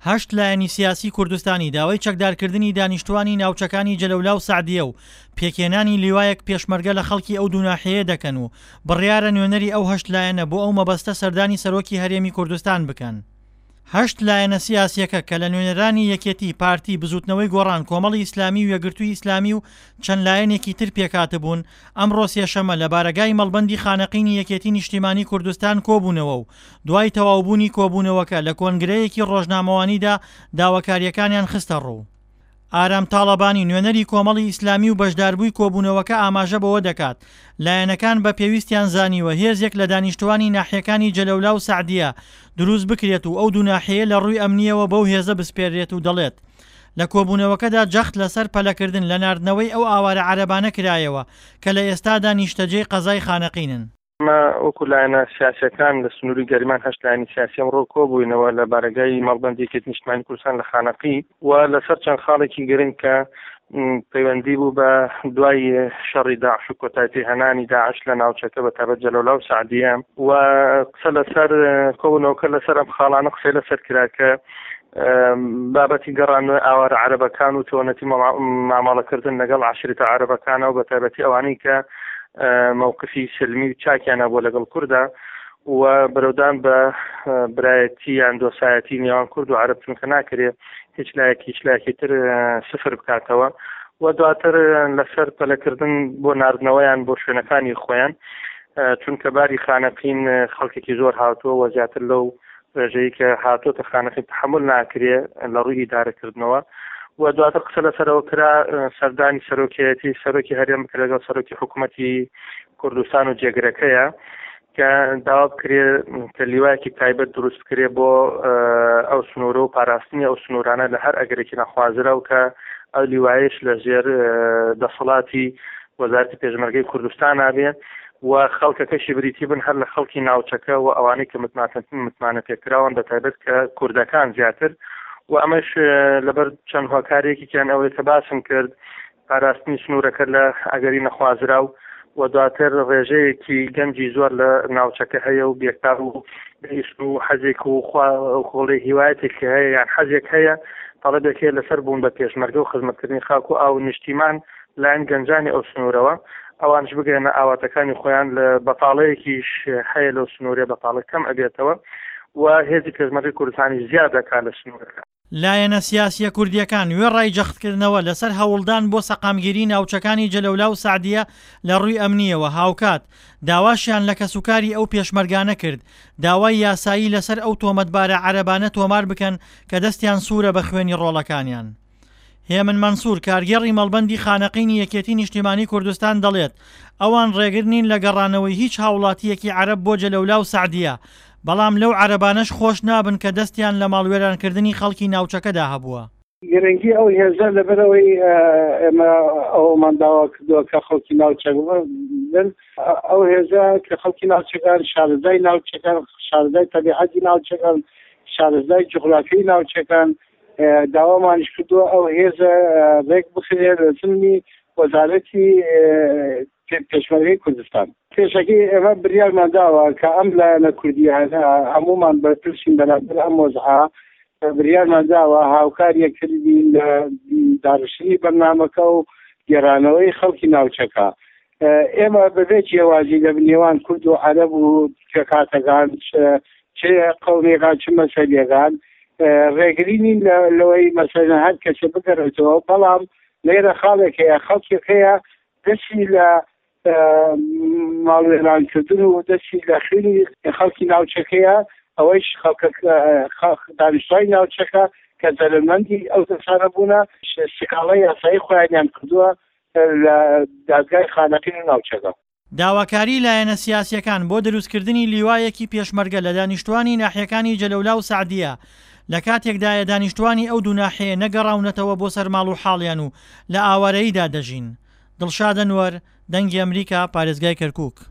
هەشت لایەنی سیاسی کوردستانی داوای چەکدارکردنی دانیشتووانی ناوچەکانی جەلەولا و سەعدیە و پێکهێنانی لیوایەک پێشمەرگە لە خەڵکی ئەو دوو ناحیەیە دەکەن و بڕیارە نوێنەری ئەو هەشت لایەنە بۆ ئەو مەبەستە سەردانی سەرۆکی هەرێمی کوردستان بکەن. هەشت لایەنە سیاسییەکە کە لە نوێنەرانی یەکێتی، پارتی، بزووتنەوەی گۆڕان، کۆمەڵی ئیسلامی و یەکگرتووی ئیسلامی و چەند لایەنێکی تر پێکهاتبوون، ئەمڕۆ سێشەممە لە بارەگای مەڵبەندی خانەقینی یەکێتی نیشتیمانی کوردستان کۆبوونەوە و دوای تەواوبوونی کۆبوونەوەکە لە کۆنگرەیەکی ڕۆژنامەوانیدا داواکارییەکانیان خستەڕوو. ئارام تاڵەبانی، نوێنەری کۆمەڵی ئیسلامی و بەشداربووی کۆبوونەوەکە ئاماژە بەوە دەکات، لایەنەکان بە پێویستیان زانیوە هێزێک لە دانیشتووانی ناحیەکانی جەلەولا و سەعدیە دروست بکرێت و ئەو دوو ناحیەیە لە ڕووی ئەمنییەوە بەو هێزە بسپێررێت و دەڵێت، لە کۆبوونەوەکەدا جەخت لەسەر پەلەکردن لە ناردنەوەی ئەو ئاوارە عەرەبانە کرایەوە کە لە ئێستادا نیشتەجێی قەزای خانەقینن. ئێمە وەکو لایەنە سیاسیەکان لە سنووری گەرمیان هەشت لایەنی سیاسی ئەمڕۆ کۆبووینەوە لە بارەگای مەڵبەندی یەکێتی نیشتمانی کوردستان لە خانەقی و لەسەر چەند خاڵێکی گرنگ کە پەیوەندی بوو بە دوای شەڕی داعش و کۆتایی پێهێنانی داعش لە ناوچەکە بە تایبەت جەلەولا و سەعدیە و قسە لەسەر کۆبوونەوەکە لەسەر ئەم خاڵانە قسەی لەسەر کرا کە بابەتی گەڕانەوەی ئاوارە عەرەبەکان و چۆنەتی مامەڵەکردن لەگەڵ عەشیرەتە عەرەبەکانەوە بە تایبەتی ئەوانەی کە مەوقفی سلمی و چاکیان هەبووە لەگەڵ کوردا و برەودان بە برایەتی یان دۆسایەتی نێوان کورد و عەرەب چونکە ناکرێ هیچ لایەک هیچ لایەکی تر سفر بکاتەوە و دواتر لەسەر پەلەکردن بۆ ناردنەوەیان بۆ شوێنەکانی خۆیان چونکە باری خانەقین خەڵکێکی زۆر هاتووە و زیاتر لەو ڕێژەی کە هاتۆتە خانەقین تەحەمول ناکرێ لە ڕووی ئیدارەکردنەوە و دواتر قسە لەسەرەوە کرا سەردانی سەرۆکیەتی سەرۆکی هەرێم بکرێت لەگەڵ سەرۆکی حکوومەتی کوردستان و جێگرەکەیە کە داوا بکرێ کە لیوایەکی تایبەت دروست بکرێ بۆ ئەو سنوورە و پاراستنی ئەو سنوورانە لە هەر ئەگەرێکی نەخوازراو کە ئەو لیوایش لە ژێر دەسەڵاتی وەزارەتی پێشمەرگەی کوردستان نابێ و خەڵکەکەشی بریتی بن هەر لە خەڵکی ناوچەکە و ئەوانەی کە متمانە پێکراون بە تایبەت کە کوردەکان زیاتر و ئەمەش لەبەر چەند هۆکارێکیان ئەوەی کە باسم کرد پاراستنی سنوورەکە لە ئەگەری نەخوازراو و دواتر ڕێژەیەکی گەنجی زۆر لە ناوچەکە هەیە و بێکار و ئیش و حەزێک و خۆڵێ هیوایەتێک هەیە یان حەزێک هەیە تەڵەبێک هەیە لەسەر بوون بە پێشمەرگە و خزمەتکردنی خاک و ئاو نیشتیمان لایەن گەنجانی ئەو سنوورەوە ئەوانش بگەنە ئاواتەکانی خۆیان لە بەتاڵەیەکیش هەیە لەو سنوورێ بەتاڵە کەم ئەبێتەوە و هێزی پێشمەرگەی کوردستانیش زیاد دەکات لە سنوورەکە. لایەنە سیاسییە کوردییەکان وێڕای جەختکردنەوە لەسەر هەوڵدان بۆ سەقامگیری ناوچەکانی جەلەولا و سەعدیە لە ڕووی ئەمنییەوە هاوکات داواشیان لە کەسوکاری ئەو پێشمەرگانە کرد داوای یاسایی لەسەر ئەو تۆمەتبارە عەرەبانە تۆمار بکەن کە دەستیان سوورە بە خوێنی ڕۆڵەکانیان. هێمن مەنسوور، کارگێڕی مەڵبەندی خانەقینی یەکێتی نیشتیمانی کوردستان دەڵێت، ئەوان ڕێگر نین لە گەڕانەوەی هیچ هاوڵاتییەکی عەرەب بۆ جەلەولا و سەعدیە، بەڵام لەو عەرەبانەش خۆش نابن کە دەستیان لە ماڵوێرانکردنی خەڵکی ناوچەکەدا هەبووە. گرنگی ئەو هێزە لەبەرئەوەی ئێمە ئەوەمان داوا کردووە کە خەڵکی ناوچەکە بن، ئەو هێزە کە خەڵکی ناوچەکان، شارەزای ناوچەکان، شارەزای تەبیعەتی ناوچەکان، شارەزای جوغرافیای ناوچەکان، داوامانیش کردووە ئەو هێزە ڕێک بخرێت لە زمنی وەزارەتی پێشمەرگەی کوردستان. پێشەکی ئێمە بریارمان داوە کە ئەم لایەنە کوردیانە هەموومان بەرپرسین بەرامبەر ئەم وەزعە، بریارمان داوە هاوکار یەکتر بین لە داڕشتنی بەرنامەکە و گێڕانەوەی خەڵکی ناوچەکە. ئێمە بەبێ جیاوازی لە نێوان کورد و عەرەب و پێکهاتەکان چ قەومیەکان چ مەزهەبیەکان ڕێگری نین لەوەی مەسەلەن هەر کەسێ بگەڕێتەوە بەڵام لێرە خاڵێک هەیە خەڵکێک هەیە دەستی لە ماڵوێرانکردن و دەستی لە خوێنی خەڵکی ناوچەکەیە ئەوەیش خەڵکە دانیشتوانی ناوچەکە کە زەرەرمەندی ئەو کەسانە بوونە سکاڵای یاسایی خۆیانیان کردووە لە دادگای خانەقین و ناوچەکە. داواکاریی لایەنە سیاسییەکان بۆ دروستکردنی لیوایەکی پێشمەرگە لە دانیشتووانی ناحیەکانی جەلەولا و سەعدیە لە کاتێکدایە دانیشتووانی ئەو دوو ناحیەیە نەگەڕاونەتەوە بۆ سەر ماڵ و حاڵیان و لە ئاوارەییدا دەژین. دڵشاد ئەنوەر، دەنگی ئەمریکا، پارێزگای کەرکوک.